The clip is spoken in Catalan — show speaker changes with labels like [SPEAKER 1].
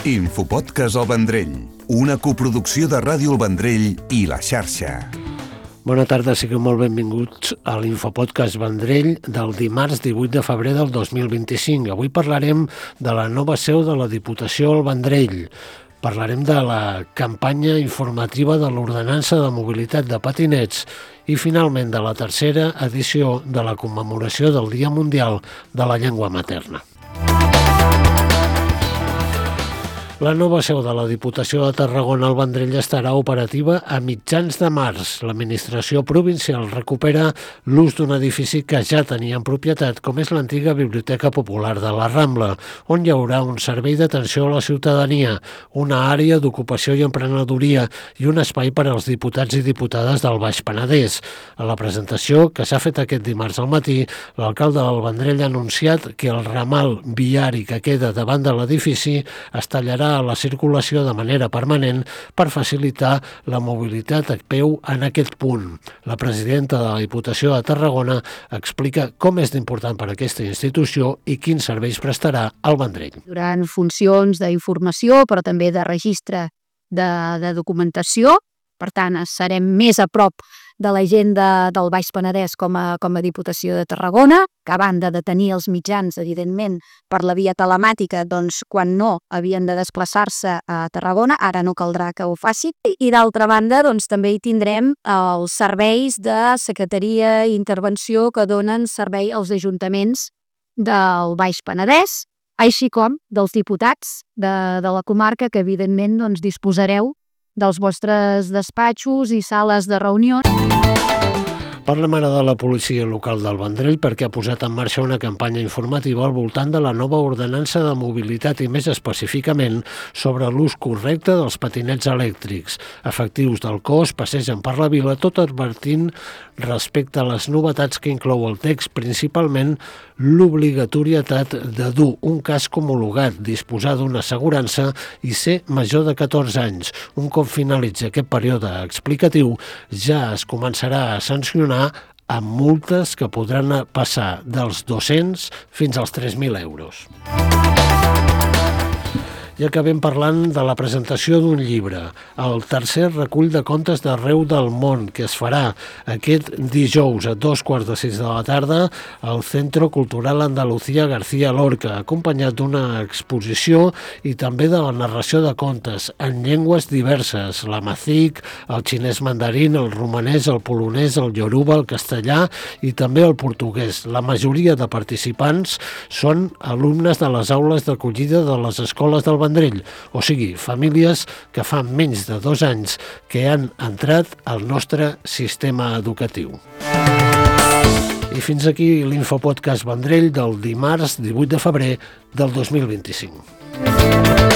[SPEAKER 1] Infopodcast El Vendrell, una coproducció de Ràdio El Vendrell i La Xarxa.
[SPEAKER 2] Bona tarda, sigueu molt benvinguts a l'Infopodcast Vendrell del dimarts 18 de febrer del 2025. Avui parlarem de la nova seu de la Diputació al Vendrell. Parlarem de la campanya informativa de l'Ordenança de Mobilitat de Patinets i, finalment, de la tercera edició de la commemoració del Dia Mundial de la Llengua Materna. La nova seu de la Diputació de Tarragona al Vendrell estarà operativa a mitjans de març. L'administració provincial recupera l'ús d'un edifici que ja tenia en propietat, com és l'antiga Biblioteca Popular de la Rambla, on hi haurà un servei d'atenció a la ciutadania, una àrea d'ocupació i emprenedoria i un espai per als diputats i diputades del Baix Penedès. A la presentació, que s'ha fet aquest dimarts al matí, l'alcalde del Vendrell ha anunciat que el ramal viari que queda davant de l'edifici es tallarà a la circulació de manera permanent per facilitar la mobilitat a peu en aquest punt. La presidenta de la Diputació de Tarragona explica com és d'important per a aquesta institució i quins serveis prestarà al Vendrell.
[SPEAKER 3] Durant funcions d'informació, però també de registre de documentació, per tant, serem més a prop de la gent del Baix Penedès com a Diputació de Tarragona, que a banda de tenir els mitjans, evidentment, per la via telemàtica, doncs, quan no havien de desplaçar-se a Tarragona, ara no caldrà que ho facin. I d'altra banda, doncs, també hi tindrem els serveis de secretaria i intervenció que donen servei als ajuntaments del Baix Penedès, així com dels diputats de la comarca, que evidentment doncs, disposareu dels vostres despatxos i sales de reunió.
[SPEAKER 2] Parlem ara de la policia local del Vendrell perquè ha posat en marxa una campanya informativa al voltant de la nova ordenança de mobilitat i més específicament sobre l'ús correcte dels patinets elèctrics. Efectius del cos passegen per la vila tot advertint respecte a les novetats que inclou el text, principalment l'obligatorietat de dur un casc homologat, disposar d'una assegurança i ser major de 14 anys. Un cop finalitzi aquest període explicatiu, ja es començarà a sancionar amb multes que podran passar dels 200 fins als 3.000 euros. I acabem parlant de la presentació d'un llibre, el tercer recull de contes d'arreu del món, que es farà aquest dijous a 2:45 de la tarda al Centro Cultural Andalucía García Lorca, acompanyat d'una exposició i també de la narració de contes en llengües diverses, l'amazic, el xinès mandarín, el romanès, el polonès, el ioruba, el castellà i també el portuguès. La majoria de participants són alumnes de les aules d'acollida de les escoles del Vendrell, o sigui, famílies que fa menys de 2 anys que han entrat al nostre sistema educatiu. I fins aquí l'Infopodcast Vendrell del dimarts 18 de febrer del 2025.